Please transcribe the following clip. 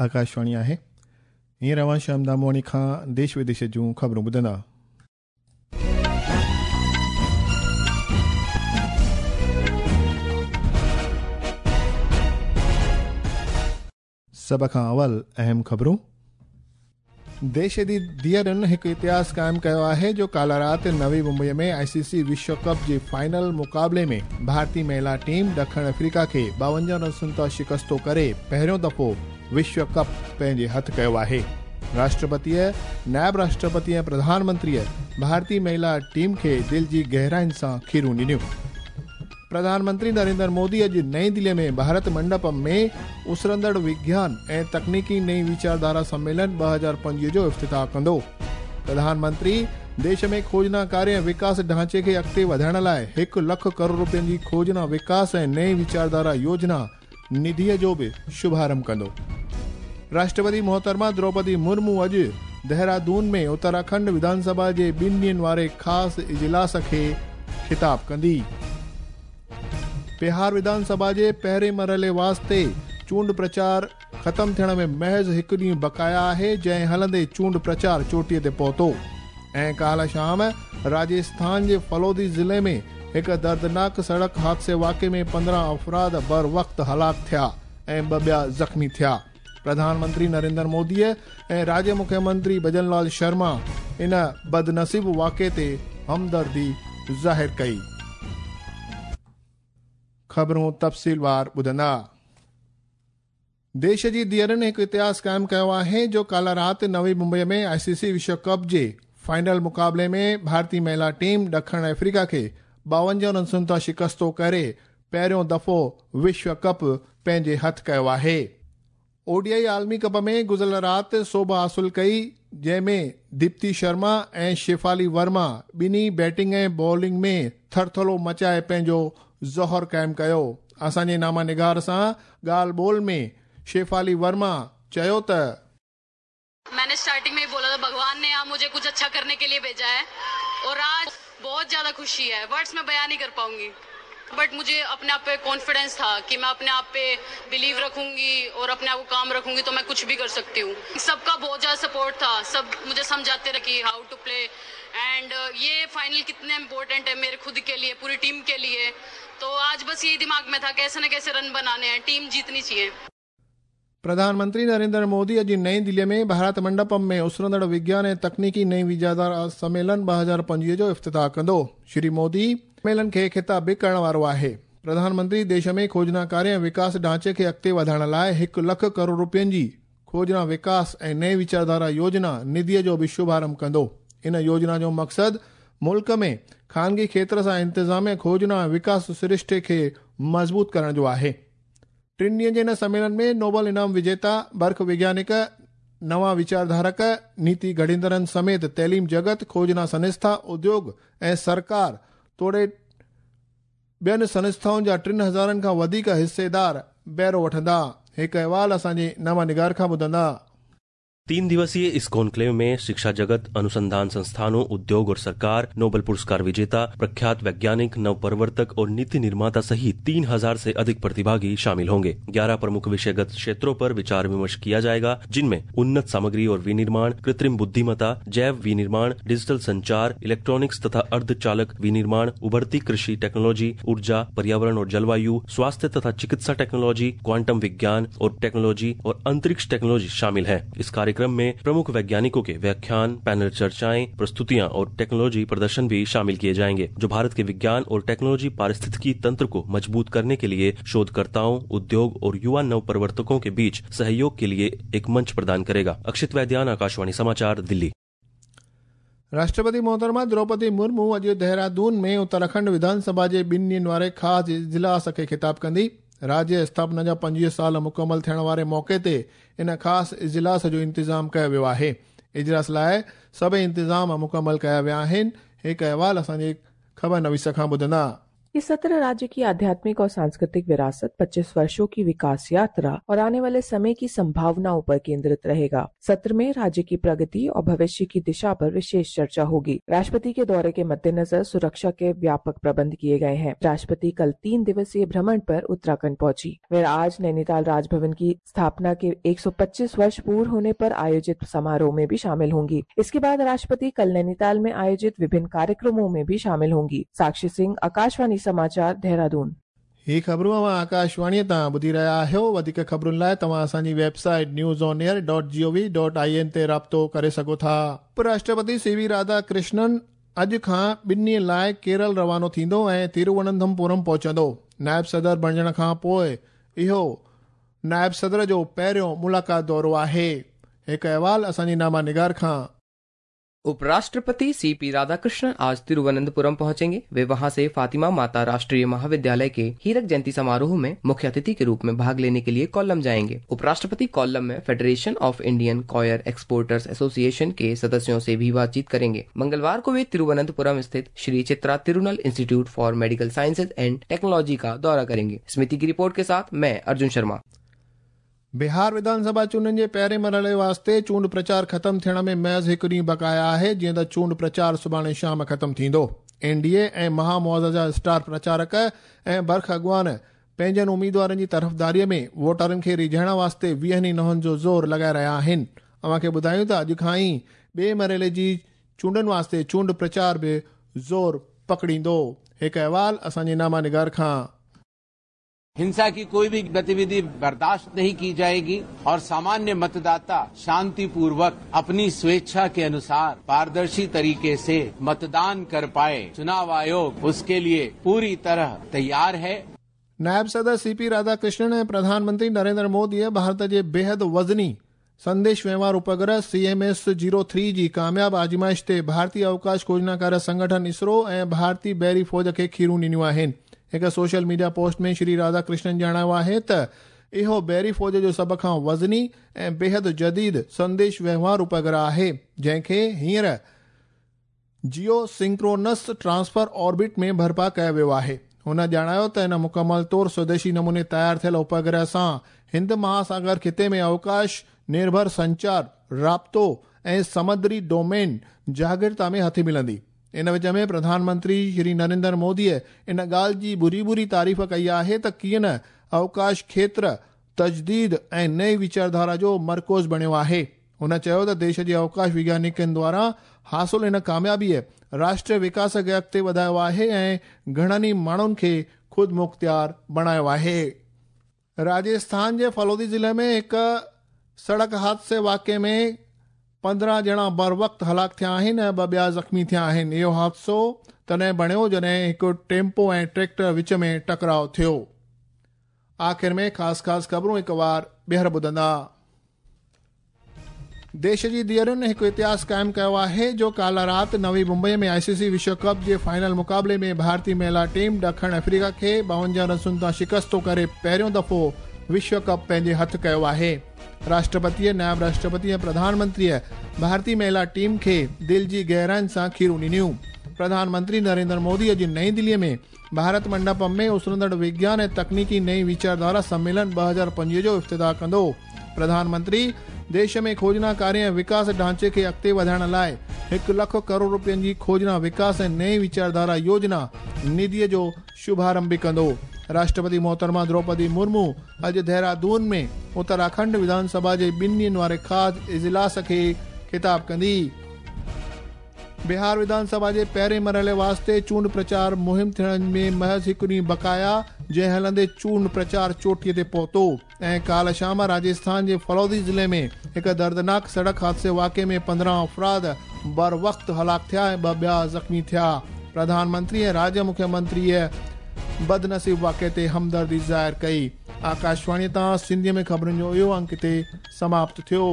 آڪاشواڻي آهي. هينئر اوهان شيام دامواڻي کان ديش وديش جون خبرون ٻڌندا. سڀ کان اول اهم خبرون. ديش جي ڌيئرن هڪ اتهاس قائم ڪيو آهي جو ڪالهه رات نوي ممبئي ۾ آء سي سي وشو ڪپ جي فائنل مقابلي ۾ ڀارتي مهلا ٽيم ڏکڻ آفريڪا کي 52 رنسن تان شڪستو ڪري پهريون دفعو وشو ڪپ پنهنجي هٿ ڪيو آهي. راشٽرپتيء، نائب راشٽرپتي ۽ پرڌان منتريء ڀارتي مهلا ٽيم کي دل جي گهراين سان کيرون ڏنيون. پرڌان منتري نريندر مودي اڄ نئين دلي ۾ ڀارت منڊپم ۾ اسرندڙ وگيان ۽ تڪنيڪي نئين ويچارڌارا سميلن 2025 جو افتتاح ڪندو. پرڌان منتري ديش ۾ کوجنا ڪاريه ۽ وڪاس ڍانچي کي اڳتي وڌائڻ لاء 1 لک ڪروڙ روپين جي کوجنا وڪاس ۽ نئين ويچارڌارا يوجنا نڌيء جو به شڀارنڀ ڪندو. راشٽرپتي محترمه دروپدي مرمو اڄ دهرادون ۾ اتراکنڊ وڌان سڀا جي 2 ڏينهن واري خاص اجلاس کي خطاب ڪندي. بهار وڌان سڀا جي پهرين مرحلي واسطي چونڊ پرچار ختم ٿيڻ ۾ محض هڪ ڏينهن بقايا آهي، جنهن هلندي چونڊ پرچار چوٽيء تي پهتو. ۽ ڪالهه شام راجسٿان جي فلودي ضلعي ۾ هڪ دردناڪ سڙڪ حادثي واقعي ۾ 15 افراد بروقت هلاڪ ٿيا ۽ 2 ٻيا زخمي ٿيا. پرڌان منتري نريندر موديء ۽ راجيه مکيه منتري ڀجن لال شرما ان بدنصيب واقعي تي همدردي ظاهر ڪئي. خبرون تفصيلوار ٻڌندا. ديش جي ڌيئرن هڪ اتهاس قائم ڪيو آهي جو ڪالهه رات نوي ممبئي ۾ آء سي سي وشو ڪپ جي فائنل مقابلي ۾ ڀارتي مهلا ٽيم ڏکڻ آفريڪا کي 52 رنسن تان شڪستو ڪري پهريون دفعو وشو ڪپ پنهنجي هٿ ڪيو آهي. او ڊي I عالمي ڪپ ۾ گذريل رات سوڀ حاصل ڪئي، جنهن ۾ ديپتي شرما ۽ شيفالي ورما ٻنهي بيٽنگ ۽ بالنگ ۾ ٿرٿلو مچائي پنهنجو ظهر قائم ڪيو. اسان جي نامه نگار سان ڳالهه ٻولهه ۾ شيفالي ورما چيو ته मैंने स्टार्टिंग में ही बोला था भगवान ने यहाँ मुझे कुछ अच्छा करने के लिए भेजा है और आज बहुत ज़्यादा खुशी है, वर्ड्स में बयान नहीं कर पाऊंगी। बट मुझे अपने आप पे कॉन्फिडेंस था कि मैं अपने आप पे बिलीव रखूंगी और अपने आप को काम रखूंगी तो मैं कुछ भी कर सकती हूँ। सबका बहुत ज़्यादा सपोर्ट था, सब मुझे समझाते रहे कि how to play and ये फाइनल कितने इम्पोर्टेंट है मेरे खुद के लिए, पूरी टीम के लिए। तो आज बस यही दिमाग में था कैसे न कैसे रन बनाने हैं, टीम जीतनी चाहिए। प्रधानमंत्री नरेंद्र मोदी अॼु नई दिल्लीअ में भारत मंडपम में उसरंदड़ विज्ञान ऐं तकनीकी नई वीजादार सम्मेलन 2025 जो इफ्तिताह कंदो। श्री मोदी सम्मेलन खे ख़िताब बि करण वारो आहे। प्रधानमंत्री देश में खोजना कार्य ऐं विकास ढांचे खे अॻिते वधाइण लाइ 1 लख करोड़ रुपयनि जी खोजना विकास ऐं नई वीचारधारा योजना निधीअ जो बि शुभारंभ कंदो। इन योजना जो मक़सदु मुल्क में ख़ानगी क्षेत्र सां इंतिज़ामिया खोजना ऐं विकास सृष्टि खे मज़बूत करण जो आहे। 3 ॾींहनि जे हिन सम्मेलन में नोबल इनाम विजेता, बर्ख वैज्ञानिक, नवां वीचारधारक, नीति घड़ींदड़नि समेत तइलीम जगत, खोजना संस्था, उद्योग ऐं सरकार तोड़े ॿियनि संस्थाउनि जा 3000 खां वधीक हिस्सेदार बहिरो वठंदा। हिकु अहवाल असांजे नवा निगार खां ॿुधंदा। 3 दिवसीय इस कॉन्क्लेव में शिक्षा जगत, अनुसंधान संस्थानों, उद्योग और सरकार, नोबेल पुरस्कार विजेता, प्रख्यात वैज्ञानिक, नवप्रवर्तक और नीति निर्माता सहित 3000 से अधिक प्रतिभागी शामिल होंगे। 11 प्रमुख विषयगत क्षेत्रों पर विचार विमर्श किया जाएगा, जिनमें उन्नत सामग्री और विनिर्माण, कृत्रिम बुद्धिमत्ता, जैव विनिर्माण, डिजिटल संचार, इलेक्ट्रॉनिक्स तथा अर्धचालक विनिर्माण, उभरती कृषि टेक्नोलॉजी, ऊर्जा, पर्यावरण और जलवायु, स्वास्थ्य तथा चिकित्सा टेक्नोलॉजी, क्वांटम विज्ञान और टेक्नोलॉजी और अंतरिक्ष टेक्नोलॉजी शामिल है। इस कार्यक्रम में प्रमुख वैज्ञानिकों के व्याख्यान, पैनल चर्चाएं, प्रस्तुतियां और टेक्नोलॉजी प्रदर्शन भी शामिल किए जाएंगे, जो भारत के विज्ञान और टेक्नोलॉजी पारिस्थितिकी तंत्र को मजबूत करने के लिए शोधकर्ताओं, उद्योग और युवा नवप्रवर्तकों के बीच सहयोग के लिए एक मंच प्रदान करेगा। अक्षित वैद्यान, आकाशवाणी समाचार, दिल्ली। राष्ट्रपति मोहतरमा द्रौपदी मुर्मू अॼु देहरादून में उत्तराखंड विधानसभा जे 2 ॾींहनि वारे ख़ासि इजलास खे ख़िताब कंदी। राज्य स्थापना जा 25 साल मुकमल थियण वारे मौक़े ते इन ख़ासि इजलास जो इंतिज़ाम कयो वियो आहे। इजलास लाइ सभई इंतिज़ाम मुकमल कया विया आहिनि। हिकु अहवाल असांजे ख़बर नवीस खां ॿुधंदा। ये सत्र राज्य की आध्यात्मिक और सांस्कृतिक विरासत, 25 वर्षों की विकास यात्रा और आने वाले समय की संभावनाओं पर केंद्रित रहेगा। सत्र में राज्य की प्रगति और भविष्य की दिशा पर विशेष चर्चा होगी। राष्ट्रपति के दौरे के मद्देनजर सुरक्षा के व्यापक प्रबंध किए गए हैं। राष्ट्रपति कल 3 दिवसीय भ्रमण पर उत्तराखंड पहुंची। वे आज नैनीताल राजभवन की स्थापना के 125 वर्ष पूर्ण होने पर आयोजित समारोह में भी शामिल होंगी। इसके बाद राष्ट्रपति कल नैनीताल में आयोजित विभिन्न कार्यक्रमों में भी शामिल होंगी। साक्षी सिंह, आकाशवाणी समाचार, देहरादून। ही ख़बरूं अव्हां आकाशवाणीअ तां ॿुधी रहिया आहियो। वधीक ख़बरुनि लाइ तव्हां असांजी वेबसाइट newsonair.gov.in ते राब्तो करे सघो था। उपराष्ट्रपति सी.वी. राधाकृष्णन अॼु खां 2 ॾींहंनि लाइ केरल रवानो थींदो ऐं तिरुवनंतपुरम पहुचंदो। नायब सदर बणिजण खां पोइ इहो नायब सदर जो पहिरियों मुलाक़ात दौरो आहे। हिकु अहवाल असांजी नामा निगार खां। उपराष्ट्रपति सीपी राधाकृष्णन आज तिरुवनंतपुरम पहुंचेंगे। वे वहां से फातिमा माता राष्ट्रीय महाविद्यालय के हीरक जयंती समारोह में मुख्य अतिथि के रूप में भाग लेने के लिए कोल्लम जाएंगे। उपराष्ट्रपति कोल्लम में federation of Indian coir exporters association के सदस्यों से भी बातचीत करेंगे। मंगलवार को वे तिरुवनंतपुरम स्थित Shri Chitra Tirunal institute for medical sciences and technology का दौरा करेंगे। समिति की रिपोर्ट के साथ मैं अर्जुन शर्मा। बिहार विधानसभा चूंडनि जे पहिरें मरहले वास्ते चूंड प्रचार ख़त्म थियण में महज़ हिकु ॾींहुं बकाया आहे, जीअं त चूंड प्रचार सुभाणे शाम ख़त्म थींदो। एनडीए ऐं महामुआज़ा जा स्टार प्रचारक ऐं बर्ख अॻुवान पंहिंजनि उम्मीदवारनि जी तरफ़दारीअ में वोटरनि खे रिझाइण वास्ते 20 ई नहुनि जो ज़ोर लॻाए रहिया आहिनि। अव्हांखे ॿुधायूं त अॼु खां ई ॿिए मरहले जी चूंडनि वास्ते चूंड प्रचार बि ज़ोर पकड़ींदो। हिकु अहवाल असांजे नामा निगार खां। हिंसा की कोई भी गतिविधि बर्दाश्त नहीं की जाएगी और सामान्य मतदाता शांतिपूर्वक अपनी स्वेच्छा के अनुसार पारदर्शी तरीके से मतदान कर पाए, चुनाव आयोग उसके लिए पूरी तरह तैयार है। नायब सदर सीपी राधाकृष्णन ऐं प्रधानमंत्री नरेंद्र मोदीअ भारत जे बेहद वज़नी संदेश व्यवहार उपग्रह CMS-03 जी कामयाब आज़माइश ते भारतीय अवकाश खोजनाकार संगठन इसरो ऐं भारतीय बहरी फ़ौज खे खीरूं ॾिनियूं आहिनि। हिकु सोशल मीडिया पोस्ट में श्री राधाकृष्णन ॼाणायो आहे त इहो बहरी फ़ौज जो सभ खां वज़नी ऐं बेहद जदीद संदेश व्यवहार उपग्रह आहे, जंहिंखे हींअर जियो सिंक्रोनस ट्रांसफर ऑर्बिट में बर्पा कयो वियो आहे। हुन ॼाणायो त हिन मुकमल तौर स्वदेशी नमूने तयार थियल उपग्रह सां हिंद महासागर ख़िते में अवकाश निर्भर संचार, राब्तो ऐं समुद्री डोमेन जागृता में हथी मिलंदी। इन विच में प्रधानमंत्री श्री नरेंद्र मोदीअ इन ॻाल्हि जी बुरी बुरी तारीफ़ कई आहे त कीअं न अवकाश क्षेत्र तजदीद ऐं नई वीचारधारा जो मरकज़ बणियो आहे। हुन चयो त देश जे अवकाश वैज्ञानिकनि द्वारा हासिल इन कामयाबीअ राष्ट्रीय विकास खे अॻिते वधायो आहे ऐं घणनि ई माण्हुनि खे ख़ुदि मुख़्तियार बणायो आहे। राजस्थान जे फलोदी ज़िले में हिकु सड़क हादसे वाक़े में 15 ॼणा बर वक़्त हलाक थिया आहिनि ऐं 2 ॿिया ज़ख़्मी थिया आहिनि। इहो हादसो तॾहिं बणियो जॾहिं हिकु टेम्पो ऐं ट्रैक्टर विच में टकराव थियो। आख़िर में ख़ासि ख़ासि ख़बरूं हिकु वार ॿीहर ॿुधंदा। देश जी धीअरुनि हिकु इतिहास क़ाइमु कयो आहे जो काल्ह राति नवी मुंबई में आईसीसी विश्व कप जे फाइनल मुक़ाबले में भारतीय महिला टीम ॾखिण अफ्रीका खे 52 रनसुनि तां शिकस्तो करे पहिरियों दफ़ो विश्व कप पंहिंजे हथु कयो आहे। राष्ट्रपतीअ, नायब राष्ट्रपति ऐं प्रधानमंत्रीअ भारतीय महिला टीम खे दिलि जी गहराइनि सां खीरूं ॾिनियूं। प्रधानमंत्री नरेंद्र मोदी अॼु नई दिल्लीअ में भारत मंडपम में उसरंदड़ विज्ञान ऐं तकनीकी नई वीचारधारा सम्मेलन 2025 जो इफ्तिताह कंदो। प्रधानमंत्री देश में खोजना कार्य ऐं विकास ढांचे खे अॻिते वधाइण लाइ 1 लाख करोड़ रुपयनि जी खोजना विकास ऐं नई वीचारधारा योजना निधीअ जो शुभारंभ बि कंदो। राष्ट्रपति मोहतरमा द्रौपदी मुर्मू अॼु देहरादून में उत्तराखंड विधानसभा जे 2 ॾींहनि वारे ख़ासि इजलास खे ख़िताब कंदी। बिहार विधानसभा जे पहिरें मरहले वास्ते चूंड प्रचार मुहिम थियण में महज़ हिकु ॾींहुं बकाया, जंहिं हलंदे चूंड प्रचार चोटीअ ते पहुतो ऐं काल्ह शाम राजस्थान जे फलौदी ज़िले में हिकु दर्दनाक सड़क हादसे वाक़े में 15 अफ़राद बर वक़्त हलाक थिया ऐं 2 ॿिया ज़ख़्मी थिया। प्रधानमंत्री ऐं राज्य मुख्यमंत्रीअ बदनसीब वाक़े ते हमदर्दी ज़ाहिर कई। आकाशवाणी तां सिंधीअ में ख़बरुनि जो इहो अंक हिते समाप्त थियो।